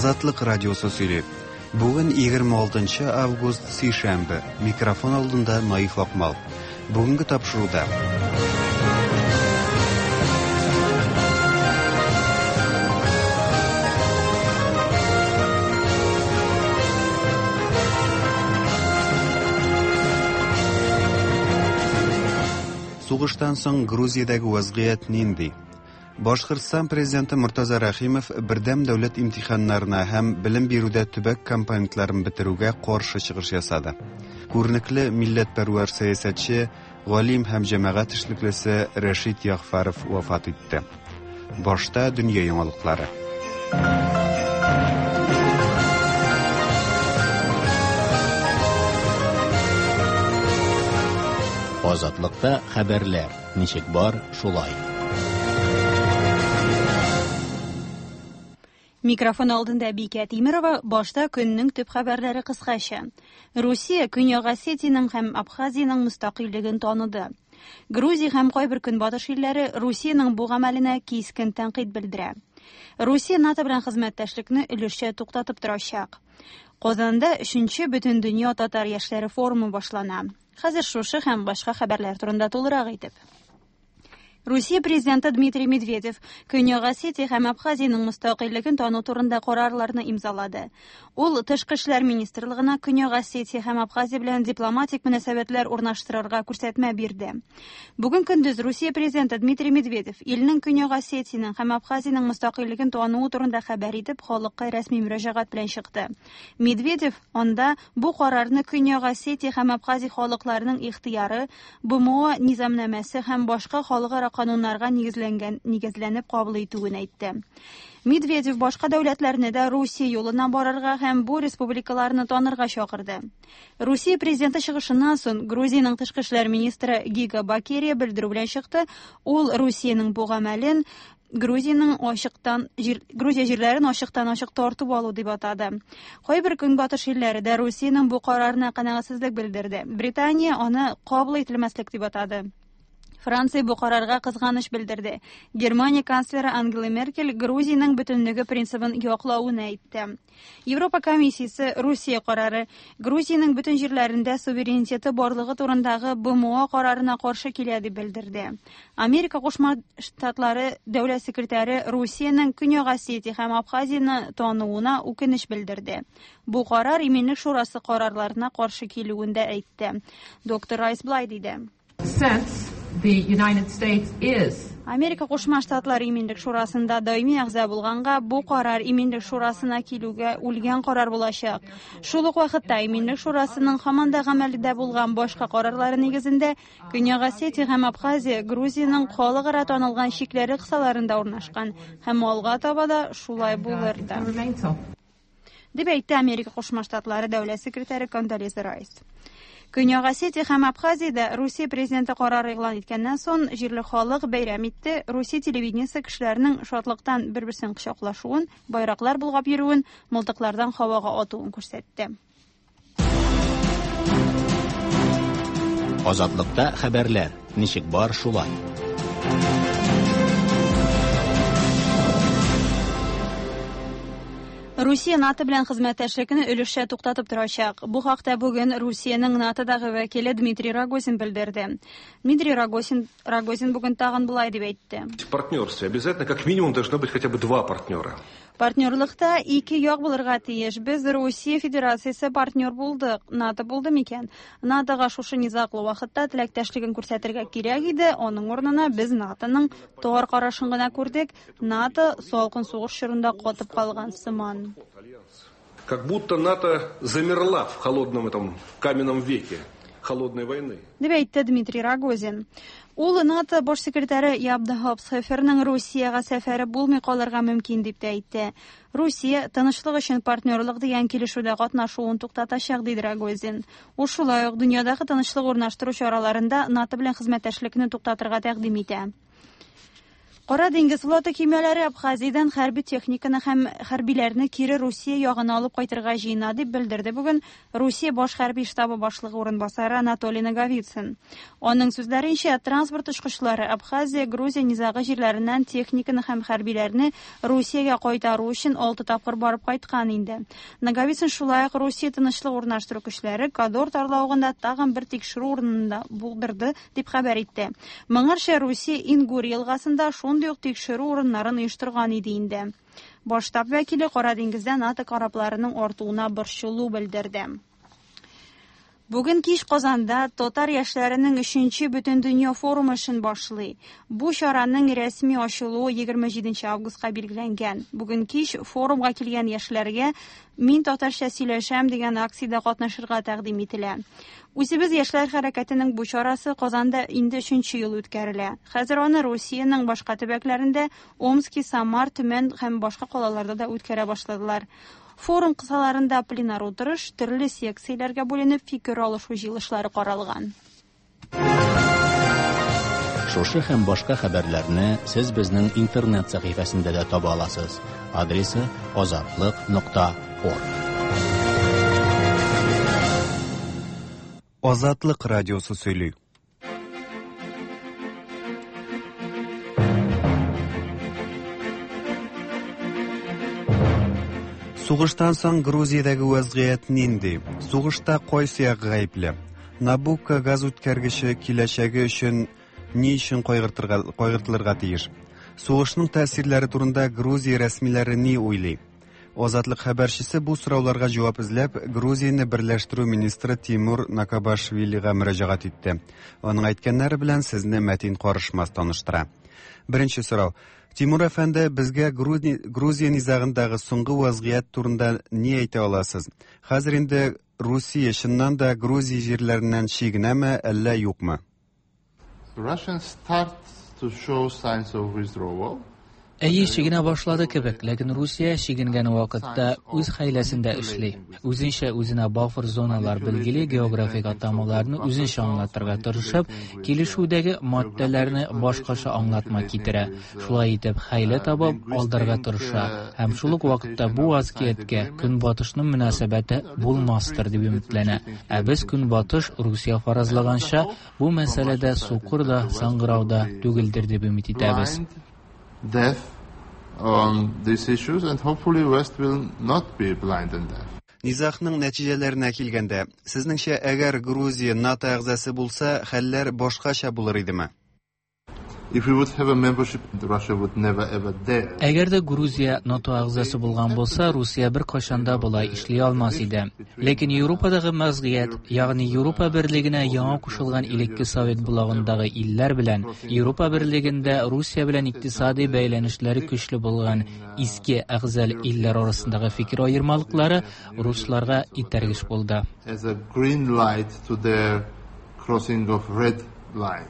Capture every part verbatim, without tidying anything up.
Азатлык радиосы сөйли. Бүген егерме алтынчы август, сишәмбе. Микрофон алдында Наиф Акмал. Бүгенге тапшыруда Сугыштан соң Грузиядәге вазгыять нинди? Башкортстан президенты Мортаза Рәхимов бердәм дәүләт имтиханнарына һәм белем бирүдә төбәк компонентларын бетерүгә каршы чыгыш ясады. Күренекле милләтпәрвәр сәясәтче, галим һәм җәмәгать эшлеклесе Рәшит Ягъфәров вафат итте. Башта дөнья яңалыклары. Азатлыкта хәбәрләр ничек бар, шулай. Микрофон алдында Бикә Тимирова, башта көннең төп хәбәрләре кыскача. Русия Көньяк Осетиянең һәм Абхазиянең мөстәкыйльлеген таныды. Грузия һәм кайбер көнбатыш илләре Русиянең бу гамәленә кискен тәнкыйть белдерә. Русия НАТО белән хезмәттәшлекне өлешчә туктатып торачак. Казанда өченче Бөтендөнья татар яшьләре форумы башлана. Хәзер шушы һәм башка хәбәрләр турында тулырак итеп. Русия президенты Дмитрий Медведев Көньяк Осетия һәм Абхазиянең мөстәкыйльлеген тану турында карарларны имзалады. Ул Тышкы эшләр министрлыгына Көньяк Осетия һәм Абхазия белән дипломатик мөнәсәбәтләр урнаштырырга күрсәтмә бирде. Бүген көндез Русия президенты Дмитрий Медведев илнең Көньяк Осетиянең һәм Абхазиянең мөстәкыйльлеген тануы турында хәбәр итеп, халыкка рәсми мөрәҗәгать белән чыкты. Медведев анда бу карарны Көньяк Осетия һәм Абхазия халыкларының ихтыяры, Б М О низамнамәсе һәм башка халыкара кануннарга нигезләнгән, нигезләнеп кабул итүен әйтте. Медведев башка дәүләтләрне дә Русия юлына барырга һәм бу республикаларны танырга чакырды. Русия президенты чыгышыннан соң Грузиянең тышкы эшләр министры Гига Бакерия белдерү белән чыкты. Ул Русиянең бу гамәлен Грузиянең ачыктан җир, Грузия җирләрен ачыктан ачык тартып алу дип атады. Кайбер көнбатыш илләре дә Русиянең бу карарына канәгатьсезлек белдерде. Британия аны кабул ителмәслек дип атады. Франция бу карарга кызганыч белдерде. Германия канцлеры Ангела Меркель Грузиянең бөтенлеге принцибын яклавын әйтте. Европа комиссиясе Русия карары Грузиянең бөтен җирләрендә суверенитеты барлыгы турындагы Б М О карарына каршы килә дип белдерде. Америка Кушма Штатлары дәүләт секретаре Русиянең Көньяк Осетия һәм Абхазияне тануына үкенеч белдерде. Бу карар Иминлек шурасы карарларына каршы килүен дә әйтте. Доктор Райс былай диде. Since the United States is Америка Кушма Штатлары Иминлек шурасында даими әгъза булганга, бу карар Иминлек шурасына килүгә үлгән карар булачак. Шул ук вакытта Иминлек шурасының һаман да гамәлдә булган башка карарлары нигезендә Көньяк Осетия һәм Абхазия Грузиянең халыкара танылган чикләре кысаларында урнашкан һәм алга таба да шулай булыр да. Дип әйтте Америка Кушма Штатлары дәүләт секретаре Кондолиза Райс. Көньяк Осетия һәм Абхазиядә Русия президенты карары игълан иткәннән соң җирле халык бәйрәм итте. Русия телевидениесе кешеләрнең шатлыктан бер-берсен кочаклашуын, байраклар болгап йөрүен, мылтыклардан һавага атуын күрсәтте. Азатлыкта хәбәрләр ничек бар, шулай. Русия НАТО белән хезмәттәшлекне өлешчә туктатып торачак. Бу хакта бүген Русиянең НАТОдагы вәкиле Дмитрий Рогозин белдерде. Дмитрий Рогозин, Рогозин бүген тагын болай дип әйтте. В партнерстве обязательно как минимум должно быть хотя бы два партнера. Партнерлыкта ике як булырга тиеш. Без Русия Федерациясе партнер булдык. НАТО булды микән? НАТОга шушы низаглы вакытта теләктәшлеген күрсәтергә кирәк иде. Аның урынына без НАТОның тар карашын гына күрдек. НАТО салкын сугыш чорында катып калган сыман. Как будто НАТО замерла в холодном этом каменном веке холодной войны. Дип әйтте Дмитрий Рогозин. Ул НАТО баш секретаре Яб де Хоп-Схеферның Русиягә сәфәре булмый калырга мөмкин дип тә әйтте. Русия тынычлык өчен партнерлык дигән килешүдә катнашуын туктатачак, диде Рогозин. Ул шулай ук дөньядагы тынычлык урнаштыру чараларында НАТО белән хезмәттәшлекне туктатырга тәкъдим итә. Кара диңгез флоты көймәләре Абхазиядән хәрби техниканы һәм хәрбиләрне кире Русия ягына алып кайтырга җыена, дип белдерде бүген Русия баш хәрби штабы башлыгы урынбасары Анатолий Наговицын. Аның сүзләренчә, транспорт очкычлары Абхазия, Грузия низагы җирләреннән техниканы һәм хәрбиләрне Русиягә кайтару өчен алты тапкыр барып кайткан инде. Наговицын шулай ук Русия тынычлык урнаштыру көчләре Кадор тарлавыгында тагын бер тикшерү урынында булдырды, дип хәбәр итте. Моңарча Русия Ингур елгасында шундый ук тикшерү урыннарын оештырган иде инде. Баш штаб вәкиле Кара диңгездә НАТО корабларының артуына борчылу белдерде. Бүген кич Казанда татар яшьләренең өченче Бөтендөнья форумы эшен башлый. Бу чараның рәсми ачылуы егерме җиденче августка билгеләнгән. Бүген кич форумга килгән яшьләргә «Мин татарча сөйләшәм» дигән акциядә катнашырга тәкъдим ителә. Үзебез яшьләр хәрәкәтенең бу чарасы Казанда инде өченче ел үткәрелә. Хәзер аны Русиянең башка төбәкләрендә Омски, Самар, Төмән һәм башка калаларда да үткәрә башладылар. Форум кысаларында пленар утырыш, төрле секцияләргә бүленеп фикер алышу җыелышлары каралган. Шушы һәм башка хәбәрләрне сез безнең интернет сәхифәсендә дә таба аласыз. Адресы азатлык нокта орг. Азатлык радиосы сөйли. Сугыштан соң Грузиядәге вазгыять нинди? Сугышта кайсы як гаепле? Набукко газ үткәргече киләчәге өчен ни өчен кайгыртырга, кайгыртылырга тиеш? Сугышның тәэсирләре турында Грузия рәсмиләре ни уйлый? Азатлык хәбәрчесе бу сорауларга җавап эзләп, Грузияне берләштерү министры Тимур Накабашвилига мөрәҗәгать итте. Аның әйткәннәре белән сезне Мәтин Карышмас таныштыра. Беренче сорау. Тимур әфәнде, безгә Грузия низагындагы соңгы вазгыять турында ни әйтә аласыз? Хәзер инде Русия чыннан да Грузия җирләреннән чигенәме, әллә юкмы? Russians start to show signs of withdrawal. Әйе, чигенә башлады кебек, ләкин Русия чигенгән вакытта үз хәйләсендә эшли. Үзенчә үзенә буфер зоналар билгели, географик атамаларны үзенчә аңлатырга тырышып, килешүдәге маддәләрне башкача аңлатма китерә. Шулай итеп, хәйлә табып, алдарга тырыша. Һәм шул ук вакытта бу вазгыятькә Көнбатышның мөнәсәбәте булмастыр дип өметләнә. Ә без Көнбатыш Русия фаразлаганча, бу мәсьәләдә сукыр да, саңгырау да түгелдер дип өмет итәбез. Deaf on these issues, and hopefully West will not be blind and deaf. Низагның нәтиҗәләренә килгәндә, сезнеңчә, әгәр Грузия НАТО әгъзасы булса, хәлләр башкача булыр идеме? If we would have a membership, Russia would never ever dare. Әгәр дә Грузия НАТО әгъзасы булган булса, Русия бер кайчан да болай эшли алмас иде. Ләкин Европадагы вазгыять, ягъни Европа берлегенә яңа кушылган элекке Совет блогындагы илләр белән Европа берлегендә Русия белән икътисади бәйләнешләре көчле булган иске әгъзал илләр арасындагы фикер аермалыклары русларга этәргеч булды. As a green light to their crossing of red line.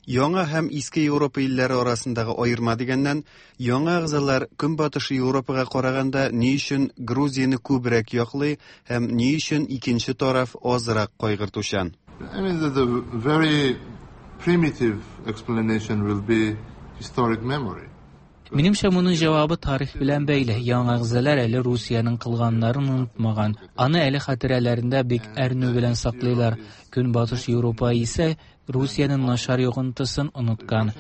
Яңа һәм иске Европа илләре арасындагы аерма дигәннән, яңа әгъзалар Көнбатыш Европага караганда ни өчен Грузияне күбрәк яклый һәм ни өчен икенче тараф азрак кайгыртучан? I mean, the, the very primitive explanation will be historic memory. Минемчә, моның җавабы тарих белән бәйле. Яңа әгъзалар әле Русиянең кылганнарын онытмаган. Аны әле хатирәләрендә бик әрнү белән саклыйлар. Көнбатыш Европа исә Русиянең начар йогынтысын оныткан.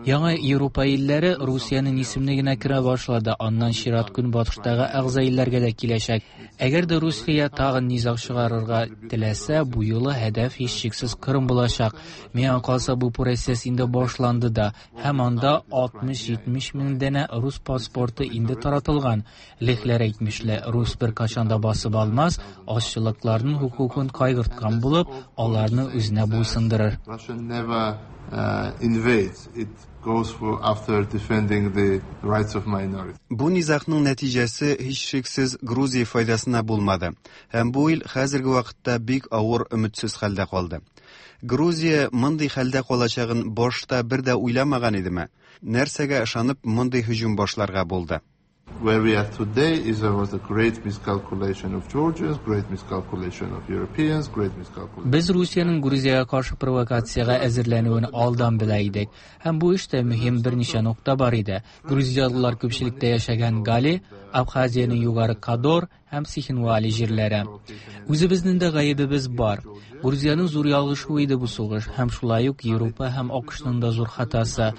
Яңа Европа илләре Русиянең исеменә генә керә башлады. Аннан чират Көнбатыштагы әгъза илләргә дә киләчәк. Әгәр дә Русия тагын низаг чыгарырга теләсә, бу юлы һәдәф һичшиксез Кырым булачак. Миңа калса, бу процесс инде башланды да, һәм анда алтмыш-җитмеш мең данә рус паспорты инде таратылган. Лехләр әйтмешле, рус бер кайчан да басып алмас, азчылыкларның хокукын кайгырткан булып, аларны үзенә буйсындырыр. Russia never uh, invades. It goes for after defending the rights of minorities. Бу низагның нәтиҗәсе һичшиксез Грузия файдасына булмады. Һәм бу ил хәзерге вакытта бик авыр өметсез хәлдә калды. Грузия мондый хәлдә калачагын башта бер дә уйламаган идеме? Нәрсәгә ышанып мондый һөҗүм башларга булды? Where we are today is there was a great miscalculation of Georgians, great miscalculation of Europeans, great miscalculation. Без Русиянең Грузиягә каршы провокациягә әзерләнүен алдан белә идек. Һәм бу эштә мөһим берничә нокта бар иде. Грузиялылар күпчелектә яшәгән Гали, Абхазиянең югары Кадор һәм Цхинвали җирләре. Үзебезнең дә гаебебез бар. Грузиянең зур ялгышуы иде бу сугыш, һәм шулай ук Европа һәм АКШның да зур хатасы.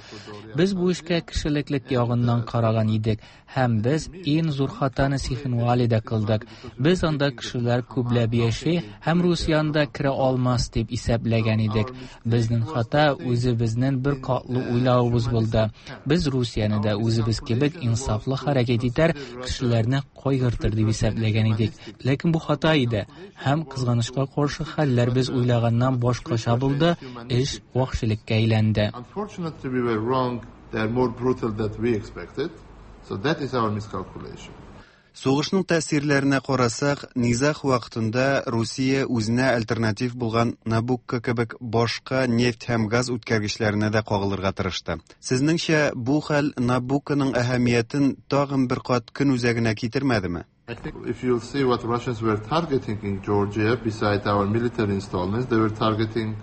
Без бу эшкә кешелеклек ягыннан караган идек, һәм без иң зур хатаны Цхинвалида кылдык. Без анда кешеләр күпләп яши һәм Русия анда керә алмас дип исәпләгән идек. Безнең хата үзебезнең бер катлы уйлавыбыз булды. Без Русияне дә үзебез кебек инсафлы хәрәкәт итәр, кешеләрне кайгыртыр дип исәпләгән идек. Ләкин бу хата иде һәм кызганычка каршы хәлләр без уйлаганнан башкача булды, эш вәхшилеккә әйләнде. Unfortunately, we were wrong. They are more brutal than we expected. So that is our miscalculation. Сугышның тәэсирләренә карасак, низаг вакытында Русия үзенә альтернатив булган Набукко кебек башка нефть һәм газ үткәргечләренә дә кагылырга тырышты. Сезнеңчә, бу хәл Набукконың әһәмиятен тагын бер кат көн үзәгенә китермәдеме? I think if you'll see what Russians were targeting in Georgia, beside our military installments, they were targeting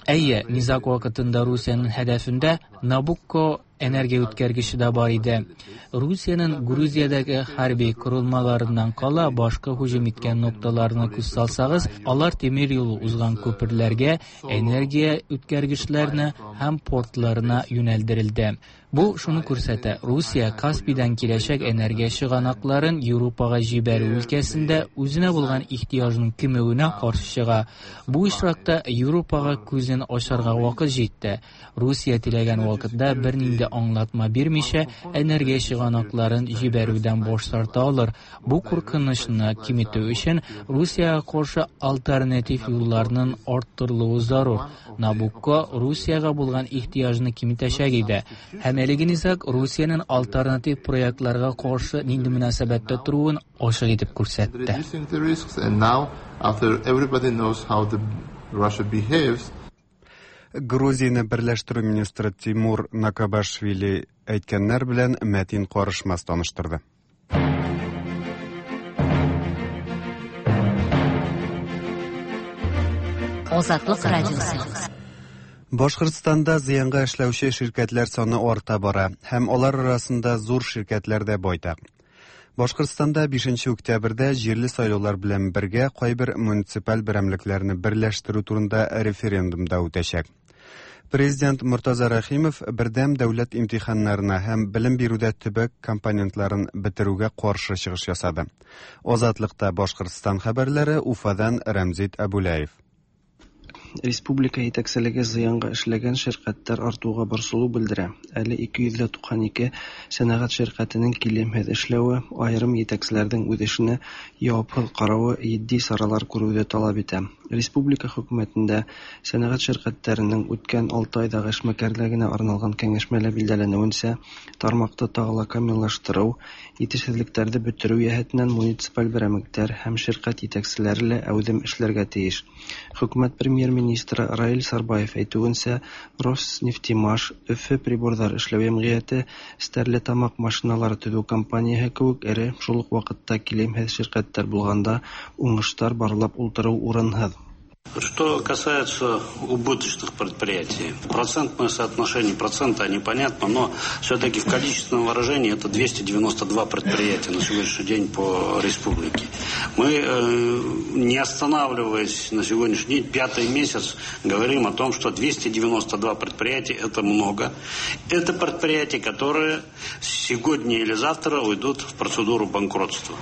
Әйе, низаг вакытында Русиянең һәдәфендә Набукко энергия үткәргече дә бар иде. Русиянең Грузиядәге хәрби корылмаларыннан кала башка һөҗүм иткән нокталарына күз салсагыз, алар тимер юлы узган күперләргә, энергия үткәргечләренә һәм портларына юнәлдерелде. Бу шуны күрсәтә: Русия Каспийдан киләчәк энергия чыганакларын Европага җибәрү өлкәсендә үзенә булган ихтыяҗның кимүенә каршы чыга. Бу очракта Европага күзен ачарга вакыт җитте. Русия теләгән вакытта бернинди аңлатма бирмичә энергия чыганакларын җибәрүдән баш тарта алыр. Бу куркынычны киметү өчен Русиягә каршы альтернатив юлларның арттырылуы зарур. Набукко Русиягә булган ихтыяҗны киметәчәк иде. Һәм әлеге низаг Русиянең альтернатив проектларга каршы нинди мөнәсәбәттә торуын ачык итеп күрсәтте. Reducing the risks, and now after everybody knows how the Russia behaves. Грузияне берләштерү министры Тимур Накабашвили әйткәннәр белән Мәтин Карышмас таныштырды. Азатлык радиосы. Башкортстанда зыянга эшләүче ширкәтләр саны арта бара һәм алар арасында зур ширкәтләр дә байтак. Башкортстанда бишенче октябрьдә җирле сайлаулар белән бергә кайбер муниципаль берәмлекләрне берләштерү турында референдум да үтәчәк. Президент Муртаза Рәхимов бердәм дәүләт имтиханнарына һәм белем бирүдә төбәк компонентларын бетерүгә каршы чыгыш ясады. Азатлыкта Башкортстан хәбәрләре Уфадан Рәмзит Әбүләев. Республика итәкселеге зыянга эшләгән ширкәтләр артуга борсылу белдерә. Әле ике йөз туксан ике сәнәгать ширкәтенең килемһеҙ эшләве, айрым етәкселәрҙең үҙ эшенә яуапһыҙ ҡарауы етди саралар күреүҙе талап итә. Республика хөкүмәтендә сәнәгать ширкәттәренең үткән алты айҙағы эшмәкәрлегенә арналған кәңәшмәлә билдәләнеүенсә, тармаҡты тағы ла камиллаштырыу, етешһеҙлектәрҙе бөтөрөү йәһәтенән муниципаль берәмектәр һәм ширкәт етәкселәре лә әүҙем эшләргә тейеш. Хөкүмәт премьер-министры Раил Сарбаев әйтеүенсә, Роснефтемаш, Өфө приборҙар эшләү йәмғиәте, Стәрлетамаҡ машиналары төҙөү компанияһы кеүек эре, шул уҡ ваҡытта килемһеҙ ширкәттәр булғанда уңыштар барлап ултырыу урынһыҙ. Что касается убыточных предприятий, процентное соотношение процента непонятно, но все-таки в количественном выражении это двести девяносто два предприятия на сегодняшний день по республике. Мы, не останавливаясь на сегодняшний день, пятый месяц говорим о том, что двести девяносто два предприятия – это много. Это предприятия, которые сегодня или завтра уйдут в процедуру банкротства.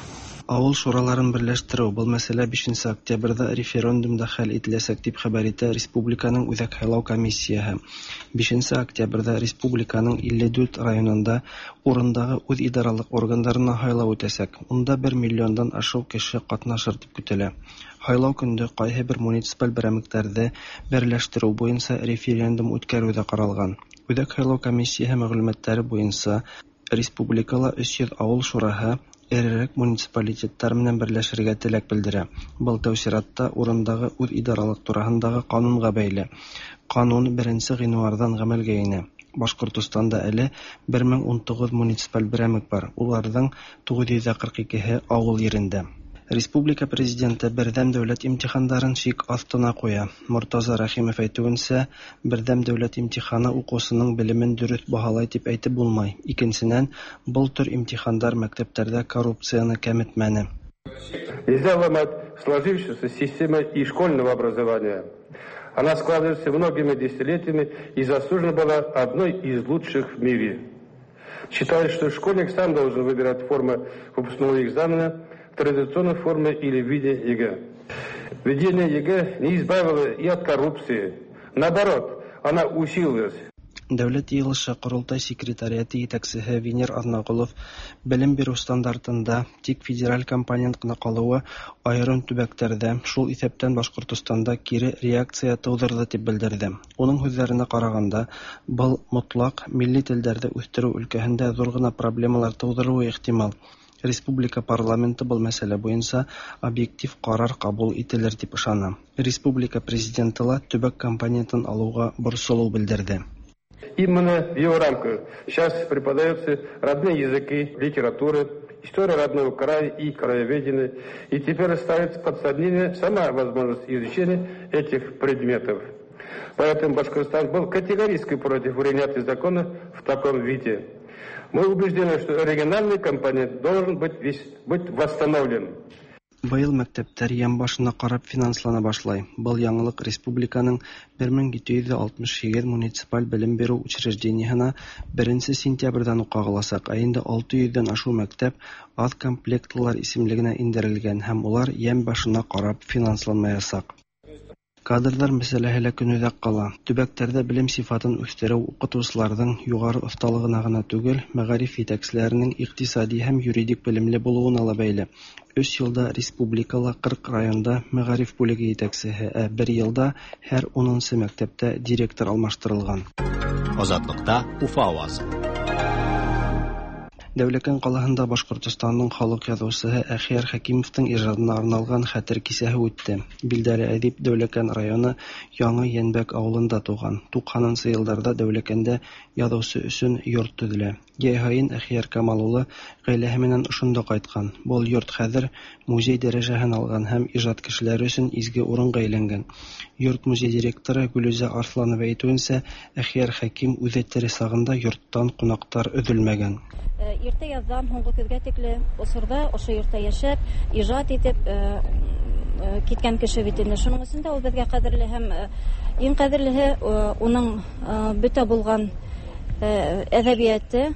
Авыл шураларын берләштерү был мәсьәлә бишенче октябрьдә референдумда хәл ителәсәк дип хәбәр итә Республиканың Үзәк һайлау комиссияһы. Бишенче октябрьдә республиканың илле дүрт районында урындагы үҙ идаралык органдарына һайлау үтәсәк. Унда бер миллиондан ашыу кеше катнашыр дип көтелә. Һайлау көндө ҡайһы бер муниципаль берәмектәрҙе берләштерү буйынса референдум үткәреү ҙә ҡаралған. Үҙәк һайлау комиссияһы мәғлүмәттәре буйынса республикала өс йөҙ ауыл шураһы эрерәк муниципалитеттар менән берләшергә теләк белдерә. Был тәү сиратта урындагы үҙ идаралык тураһындағы ҡанунға бәйле. Ҡанун беренсе ғинуарҙан ғәмәлгә инә. Башҡортостанда әле бер мең ун туғыҙ муниципаль берәмек бар, уларҙың туғыҙ йөҙ ҡырҡ икеһе ауыл ерендә. Республика президенты берҙәм дәүләт имтихандарын шик аҫтына ҡуя. Мортаза Рәхимов әйтеүенсә, берҙәм дәүләт имтиханы уҡыусының белемен дөрөҫ баһалай тип әйтеп булмай. Икенсенән, был төр имтихандар мәктәптәрҙә коррупцияны кәметмәне. Нельзя ломать сложившуюся систему и школьного образования. Она складывается многими десятилетиями и заслуженно была одной из лучших в мире. Считаю, что школьник сам должен выбирать форму выпускного экзамена в традиционной форме или в виде ЕГЭ. Введение ЕГЭ не избавило и от коррупции. Наоборот, она усилилась. Дәүләт йыйылышы Ҡоролтай секретариаты етәксеһе Венер Аҙнағолов белем биреү стандартында тик федераль компонент ҡына ҡалыуы айырым төбәктәрҙә, шул иҫәптән Башҡортостанда кире реакция тыуҙырҙы тип белдерҙе. Уның һүҙҙәренә ҡарағанда, был мотлаҡ милли телдәрҙе үҫтереү өлкәһендә ҙур ғына проблемалар тыуҙырыуы ихтимал. Республика парламенты был мәсьәлә буйынса объектив ҡарар ҡабул ителер тип ышана. Республика президенты ла төбәк компонентын алыуға борсолоу белдерҙе. Именно в его рамках сейчас преподаются родные языки, литература, история родного края и краеведение. И теперь ставится под сомнение сама возможность изучения этих предметов. Поэтому Башкортостан был категорически против принятия закона в таком виде. Мы убеждены, что региональный компонент должен быть, быть восстановлен. Быйыл мәктәптәр йәм башына ҡарап финанслана башлай. Был яңылыҡ республиканың бер мең ете йөҙ алтмыш һигеҙ муниципаль белем биреү учреждениеһына беренсе сентябрҙән уҡ ҡағыласаҡ. Ә инде алты йөҙҙән ашыу мәктәп аҙ комплектлылар исемлегенә индерелгән һәм улар йәм башына ҡарап финансланмаясаҡ. Кадрҙар мәсьәләһе лә көнүҙәк ҡала. Төбәктәрҙә белем сифатын үҫтереү уҡытыусыларҙың юғары оҫталығына ғына түгел, мәғариф етәкселәренең иҡтисади һәм юридик белемле булыуына ла бәйле. Өс йылда республикала ҡырҡ районда мәғариф бүлеге етәксеһе, ә бер йылда һәр унынсы мәктәптә директор алмаштырылған. Азатлыҡта Уфа ауазы. Дәүләкән ҡалаһында Башҡортостандың халыҡ яҙыусыһы Әхиәр Хәкимовтың ижадына арналған хәтер кисәһе үтте. Билдәле әҙип Дәүләкән районы Яңы Йәнбәк ауылында тыуған. Туҡһанынсы йылдарҙа Дәүләкәндә яҙыусы өсөн йорт төҙөлә. Йәй һайын Әхиәр Камал улы ғаиләһе менән ошонда ҡайтҡан. Был йорт хәҙер музей дәрәжәһен алған һәм ижад кешеләре өсөн изге урынға әйләнгән. Йорт музей директоры Гөлүзә Арсланова әйтеүенсә, Әхиәр Хәким үҙе тере сағында йорттан ҡунаҡтар өҙөлмәгән. Иртә яҙҙан һуңғы көҙгә тикле осорҙа ошо йортта йәшәп, ижад итеп киткән кеше бит инде. Шуның өсөн дә ул беҙгә ҡәҙерле һәм иң ҡәҙерлеһе уның бөтә булған әҙәбиәте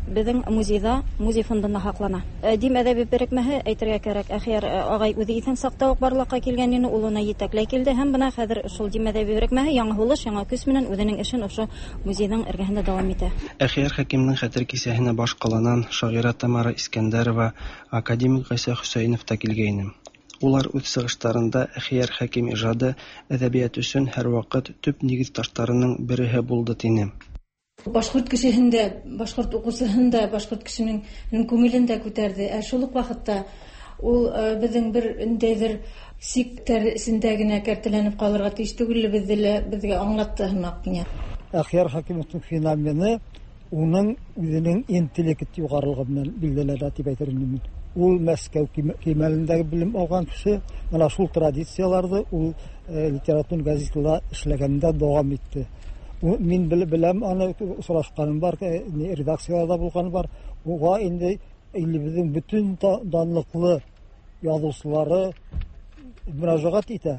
беҙҙең музейҙа, музей фондында һаҡлана. Дим әҙәби берекмәһе, әйтергә кәрәк, Әхиәр ағай үҙе иҫән саҡта уҡ барлыҡҡа килгән ине, ул уны етәкләй килде һәм бына хәҙер шул Дим әҙәби берекмәһе яңы һулыш, яңы көс менән үҙенең эшен ошо музейҙың эргәһендә дауам итә. Әхиәр Хәкимдең хәтер кисәһенә баш ҡаланан шағира Тамара Искәндәрова, академик Ғайса Хөсәйенов та килгәйне. Улар үҙ сығыштарында Әхиәр Хәким ижады әҙәбиәт өсөн һәр ваҡыт төп нигеҙ таштарының береһе булды тине. Башҡорт кешеһендә, башҡорт уҡыусыһында, башҡорт кешенең күңелен дә күтәрҙе. Ә шул уҡ ваҡытта ул беҙҙең бер ниндәйҙер сиктәр эсендә генә кәртәләнеп ҡалырға тейеш түгеллегебеҙҙе лә беҙгә аңлатты һымаҡ миңә. Әхиәр Хәкимовтың феномены уның үҙенең интеллект юғарылығы менән билдәләнә тип әйтер инем мин. Ул Мәскәү кимәлендәге белем алған кеше, бына шул традицияларҙы ул литератур газетала эшләгәндә дауам итте. Мин беләм, аны осрашҡаным бар, редакцияларҙа булғаны бар. Уға инде илебеҙҙең бөтөн данлыҡлы яҙыусылары мөрәжәғәт итә.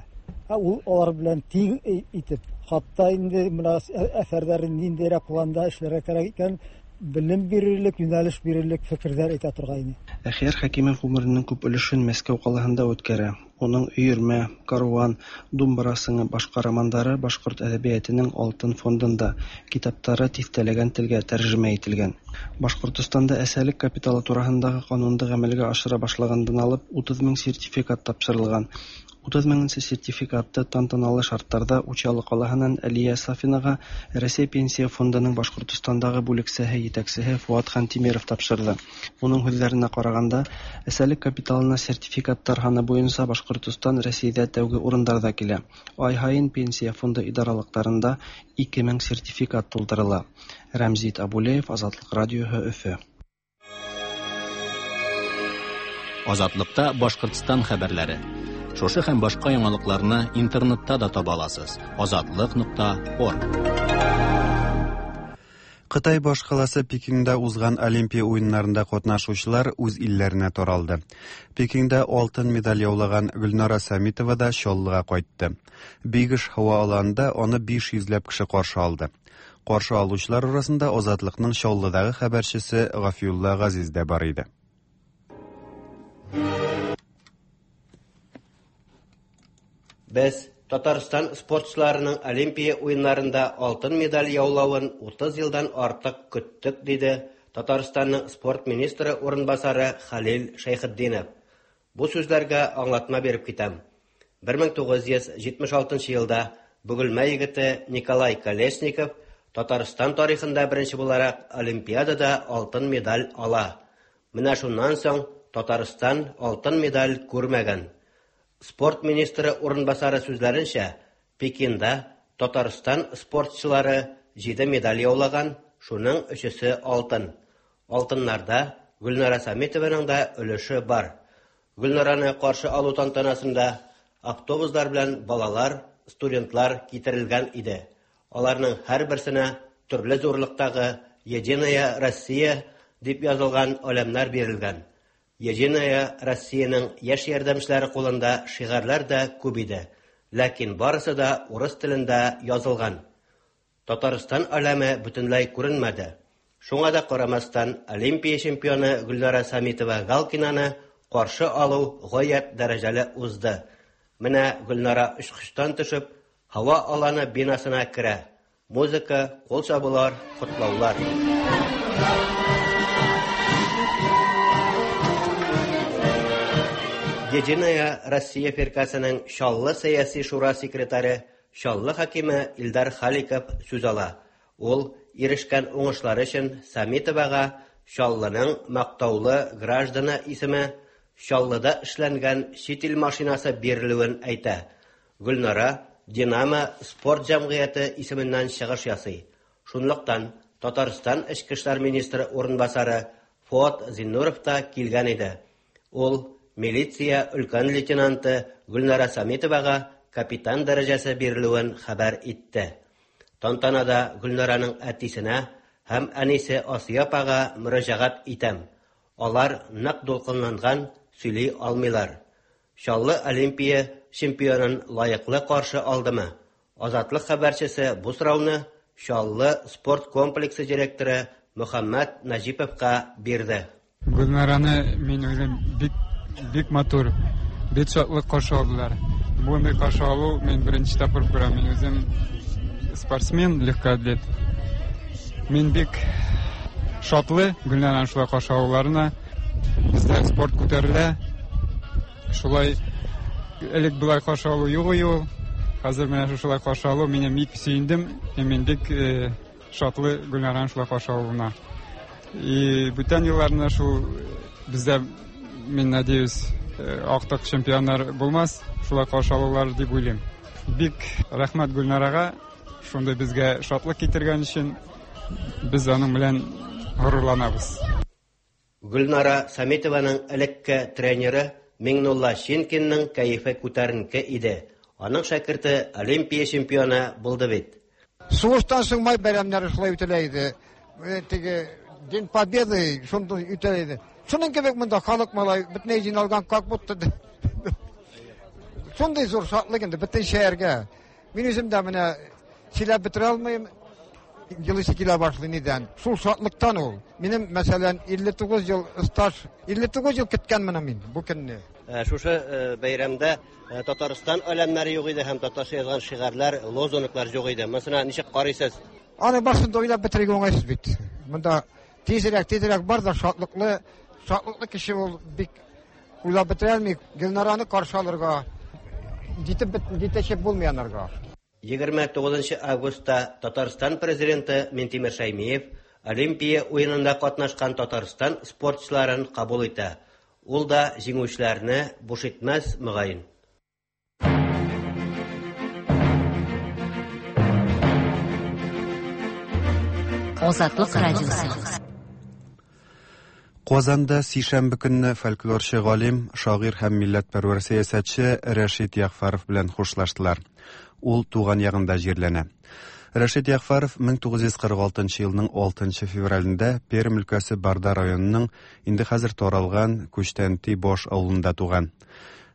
Ә ул алар белән тиң итеп, хатта инде бына әҫәрҙәрен ниндәйерәк планда эшләргә кәрәк икән, белем бирерлек, йүнәлеш бирерлек фекерҙәр әйтә торғайны. Әхиәр Хәкимов ғүмеренең күп өлөшөн Мәскәү ҡалаһында үткәрә. Уның «Өйөрмә», «Каруан», «Думбыра сыңы» башҡа романдары башҡорт әҙәбиәтенең алтын фондында, китаптары тиҫтәләгән телгә тәржемә ителгән. Башҡортостанда әсәлек капиталы тураһындағы ҡанунды ғәмәлгә ашыра башлағандан алып утыҙ мең сертификат тапшырылған. Утыз меңенсе сертификатты тантаналы шарттарҙа Учалы ҡалаһынан Әлиә Сафинаға Рәсәй Пенсия фондының Башҡортостандағы бүлексәһе етәксеһе Фуат Хантимиров тапшырҙы. Уның һүҙҙәренә ҡарағанда, әсәлек капиталына сертификаттар һаны буйынса Башҡортостан Рәсәйҙә тәүге урындарҙа килә. Ай һайын Пенсия фонды идаралыҡтарында ике мең сертификат тултырыла. Рәмзит Абулеев, Азатлыҡ радиоһы, Өфө. Азатлыҡта Башҡортостан хәбәрләре. Шушы һәм башҡа яңалыҡларны интернетта да таба аласыз. Азатлыҡ нуҡта орг. Кытай башкаласы Пекинда узган Олимпия уеннарында катнашучылар үз илләренә таралды. Пекинда алтын медаль яулаган Гөлнара Самитова да Чаллыга кайтты. Бигеш һава аланында аны биш йөзләп кеше каршы алды. Каршы алучылар арасында Азатлыкның Чаллыдагы хәбәрчесе Гафиулла Газиз дә бар иде. Без Татарстан спортчыларының Олимпия уеннарында алтын медаль яулавын утыз елдан артык көттек, диде Татарстанның спорт министры урынбасары Халил Шәйхетдинов. Бу сүзләргә аңлатма биреп китәм. бер мең тугыз йөз җитмеш алтынчы елда Бөгелмә егете Николай Колесников Татарстан тарихында беренче буларак Олимпиадада алтын медаль ала. Менә шуннан соң Татарстан алтын медаль күрмәгән. Спорт министры урынбасары сүзләренчә, Пекинда Татарстан спортчылары җиде медаль яулаган, шуның өчесе алтын. Алтыннарда Гөлнара Самитованың да өлеше бар. Гөлнараны каршы алу тантанасында автобуслар белән балалар, студентлар китерелгән иде. Аларның һәрберсенә төрле зурлыктагы «Единая Россия» дип язылган әләмнәр бирелгән. Единая Россияның яшь ярдәмчеләре кулында шигарьләр дә күп иде, ләкин барысы да урыс телендә язылган. Татарстан әләме бөтенләй күренмәде. Шуңа да карамастан, Олимпия чемпионы Гөлнара Самитова Галкинаны каршы алу гаять дәрәҗәле узды. Менә Гөлнара очкычтан төшеп, һава аланы бинасына керә. Музыка, кул чабулар, котлаулар. Единая Россия фиркасының Чаллы сәяси шура секретаре, Чаллы хакиме Илдар Халиков сүз ала. Ул ирешкән уңышлары өчен Самитовага Чаллының мактаулы гражданы исеме, Чаллыда эшләнгән чит ил машинасы бирелүен әйтә. Гөлнара Динамо спорт җәмгыяте исеменнән чыгыш ясый. Шунлыктан Татарстан эчке эшләр министры урынбасары Фуат Зиннуров та килгән иде. Ул милиция өлкән лейтенанты Гөлнара Самитовага капитан дәрәҗәсе бирелүен хәбәр итте. Тантанада Гөлнараның әтисенә һәм әнисе Асия апага мөрәҗәгать итәм. Алар нык дулкынланган, сөйли алмыйлар. Чаллы Олимпия чемпионын лаеклы каршы алдымы? Азатлык хәбәрчесе бу сорауны Чаллы спорт комплексы директоры Мөхәммәт Наҗиповка бирде. Гөлнараны мин уйлыйм, бик бик матур, бик шатлык каршы алдылар. Мондый каршы алу мин беренче тапкыр күрәм. Мин үзем спортсмен, легкоатлет. Мин бик шатлы Гөлнараны шулай каршы алуларына. Бездә спорт күтәрелә. Шулай элек болай каршы алу юк иде ул. Хәзер менә шулай каршы алу мине бик сөендем. Мин бик шатлы Гөлнараны шулай каршы алуына. И бүтән елларны шул бездә, мин надеюсь, актык чемпионнар булмас, шулай каршы алулар дип уйлыйм. Бик рәхмәт Гөлнарага, шундый безгә шатлык китергән өчен. Без аның белән горурланабыз. Гөлнара Самитованың элекке тренеры Миңнулла Шинкинның кәефе күтәренке иде. Аның шәкерте Олимпия чемпионы булды бит. Сугыштан соң май бәйрәмнәре шулай үтелә иде. Теге День Победы шундый үтелә иде. Шуның кебек монда халык малай бөтенләй җыйналган, как будто шундый зур шатлык инде бөтен шәһәргә. Мин үзем дә менә сөйләп бетерә алмыйм. Елыйсы килә башлый нидән. Шул шатлыктан ул. Минем, мәсәлән, илле тугыз ел стаж, илле тугыз ел көткәнмен мин бу көнне. Шушы бәйрәмдә Татарстан әләмнәре юк иде һәм татарча язган шигарьләр, лозунглар юк иде. Монысына ничек карыйсыз? Аны башында уйлап бетерергә уңайсыз бит. Монда тизрәк, тизрәк бар да шатлыклы, шатлыклы кеше ул бик уйлап бетерә алмый. Гөлнараны каршы алырга җитеп җитәчеп булмый анарга. егерме тугызынчы августта Татарстан президенты Минтимер Шәймиев Олимпия уенында катнашкан Татарстан спортчыларын кабул итә. Ул да җиңүчеләрне буш итмәс, мөгаен. Азатлык радиосы. Казанда сишәмбе көнне фольклорчы галим, шагыйрь һәм милләтпәрвәр сәясәтче Рәшит Ягъфәров белән хушлаштылар. Ул туган ягында җирләнә. Рәшит Ягъфәров мең тугыз йөз кырык алтынчы елның алтынчы февралендә Пермь өлкәсе Барда районының инде хәзер таралган Күчтәнти баш авылында туган.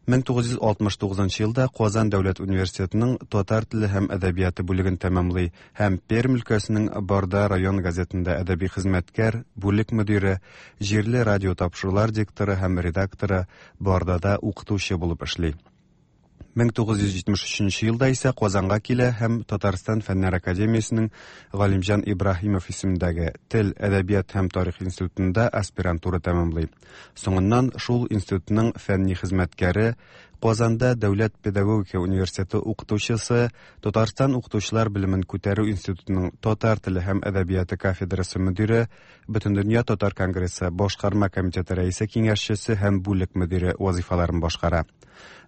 мең тугыз йөз алтмыш тугызынчы елда Казан дәүләт университетының татар теле һәм әдәбияты бүлеген тәмамлый һәм Пермь өлкәсенең Барда район газетында әдәби хезмәткәр, бүлек мөдире, җирле радио тапшырулар дикторы һәм редакторы, Бардада укытучы булып эшли. мең тугыз йөз җитмеш өченче елда исә Казанга килә һәм Татарстан Фәннәр академиясенең Галимҗан Ибраһимов исемендәге Тел, әдәбият һәм тарих институтында аспирантура тәмамлый. Соңыннан шул институтның фәнни хезмәткәре, Казанда Дәүләт педагогика университеты укытучысы, Татарстан укытучылар белемен күтәрү институтының татар теле һәм әдәбияты кафедрасы мөдире, Бөтендөнья татар конгрессы башкарма комитеты рәисе киңәшчесе һәм бүлек мөдире вазифаларын башкара.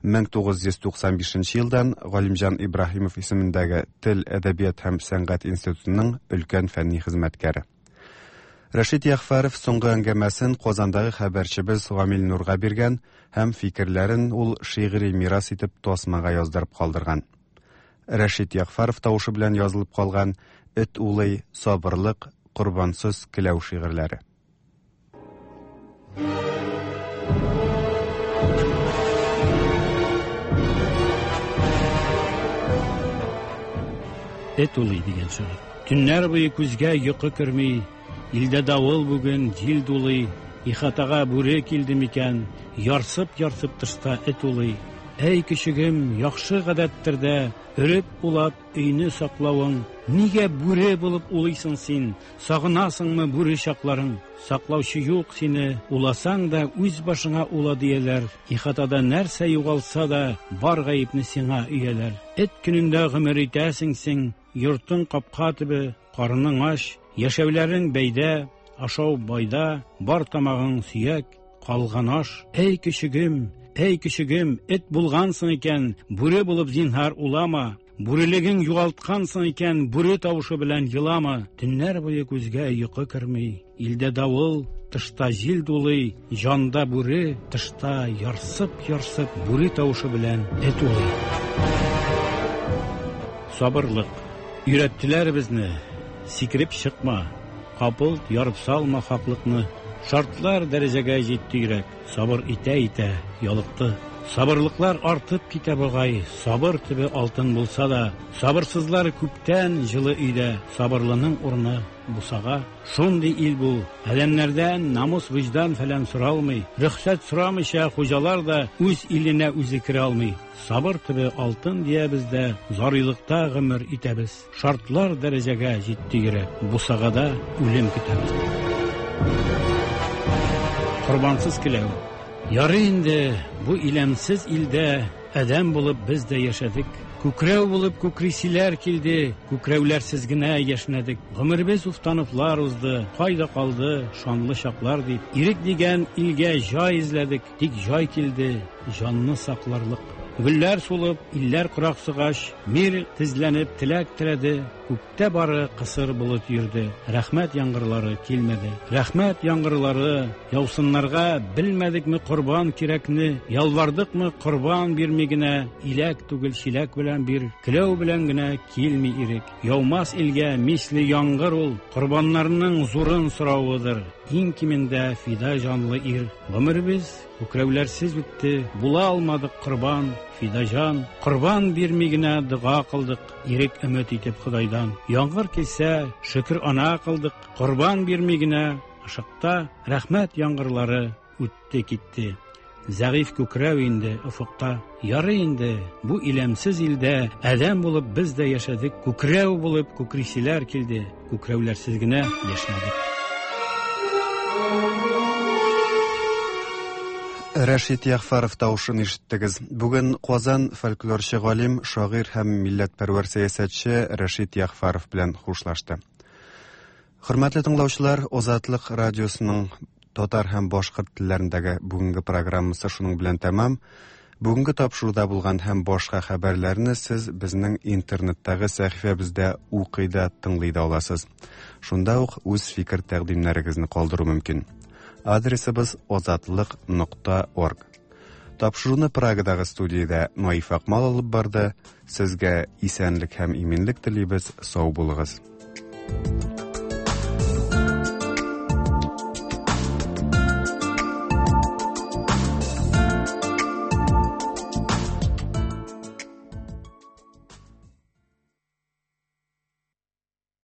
мең тугыз йөз туксан бишенче елдан Галимҗан Ибраһимов исемендәге Тел, әдәбият һәм сәнгать институтының өлкән фәнни хезмәткәре. Рәшит Ягъфәров соңгы әңгәмәсен Казандагы хәбәрчебез Гамил Нурга биргән һәм фикерләрен ул шигъри мирас итеп тасмага яздырып калдырган. Рәшит Ягъфәров тавышы белән язылып калган Эт улый, сабырлык, корбансыз келәү шигырьләре. Эт улый дигән шигырь. Төннәр буе күзгә йокы керми, илдә давыл бүген, җил дулый, ихатага бүре килде микән, ярсып-ярсып тышта эт улый. Әй көчегем, яхшы гадәттер дә, өреп улап өйне саклавың, нигә бүре булып улыйсың син, сагынасыңмы бүре чакларың? Саклаучы юк сине, уласаң да үз башыңа ула дияләр, ихатада нәрсә югалса да, бар гаепне сиңа өяләр. Эт көнендә гомер итәсең син, йортың капка төбе, карының ач, яшәүләрең бәйдә, ашау байда, бар тамагың сөяк, калган аш. Әй көчегем, әй көчегем, эт булгансың икән, бүре булып зинһар улама, бүрелегең югалткансың икән, бүре тавышы белән елама. Төннәр буе күзгә йокы керми, илдә давыл, тышта җил дулый, җанда бүре, тышта ярсып-ярсып бүре тавышы белән эт улый. Сабырлык. Өйрәттеләр безне, сикереп чыкма, капылт ярып салма хаклыкны. Шартлар дәрәҗәгә җитте йөрәк, сабыр итә-итә ялыкты. Сабырлыклар артып китә бугай, сабыр төбе алтын булса да, сабырсызлар күптән җылы өйдә, сабырлының урыны бусага. Шундый ил бу, адәмнәрдән намус, вөҗдан фәлән соралмый, рөхсәт сорамыйча хуҗалар да үз иленә үзе керә алмый. Сабыр төбе алтын диябез дә, зарыйлыкта гомер итәбез. Шартлар дәрәҗәгә җитте йөрәк, бусагада үлем көтәбез. Корбансыз келәү. Ярый инде бу иләмсез илдә адәм булып без дә яшәдек. Күкрәү булып күкрисиләр килде, күкрәүләрсез генә яшнәдек. Гомеребез уфтаныплар узды, кайда калды шанлы чаклар дип. Ирек дигән илгә җай эзләдек, тик җай килде җанны сакларлык. Гөлләр сулып, илләр кораксыгач, мир тезләнеп теләк теләде, күктә бары кысыр болыт йөрде. Рәхмәт яңгырлары килмәде. Рәхмәт яңгырлары яусыннарга белмәдекме корбан кирәкне, ялвардыкмы корбан бирми генә, иләк түгел чиләк белән бир, келәү белән генә килми ирек. Яумас илгә мисле яңгыр ул, корбаннарның зурын соравыдыр. Иң кимендә фида җанлы ир. Гомеребез күкрәүләрсез үтте, була алмадык корбан, фида җан. Корбан бирми генә дога кылдык, ирек өмет итеп Ходайдан. Яңгыр килсә, шөкер ана кылдык, корбан бирми генә ышыкта рәхмәт яңгырлары үтте китте. Зәгыйфь күкрәү инде офыкта. Ярый инде бу иләмсез илдә адәм булып без дә яшәдек, күкрәү булып күкрисиләр килде, күкрәүләрсез генә яшәдек. Рәшит Ягъфәров тавышын ишеттегез. Бүген Казан фольклорчы галим, шагыйрь һәм милләтпәрвәр сәясәтче Рәшит Ягъфәров белән хушлашты. Хөрмәтле тыңлаучылар, Азатлык радиосының татар һәм башкорт телләрендәге бүгенге программасы шуның белән тәмам. Бүгенге тапшыруда булган һәм башка хәбәрләрне сез безнең интернеттагы сәхифәбездә укый да, тыңлый да аласыз. Шунда ук үз фикер тәкъдимнәрегезне калдыру мөмкин. Адресыбыз озатлык нокта орг. Тапшыруны Прагадагы студиядә Наиф Акмал алып барды. Сезгә исәнлек һәм иминлек телибез. Сау булыгыз.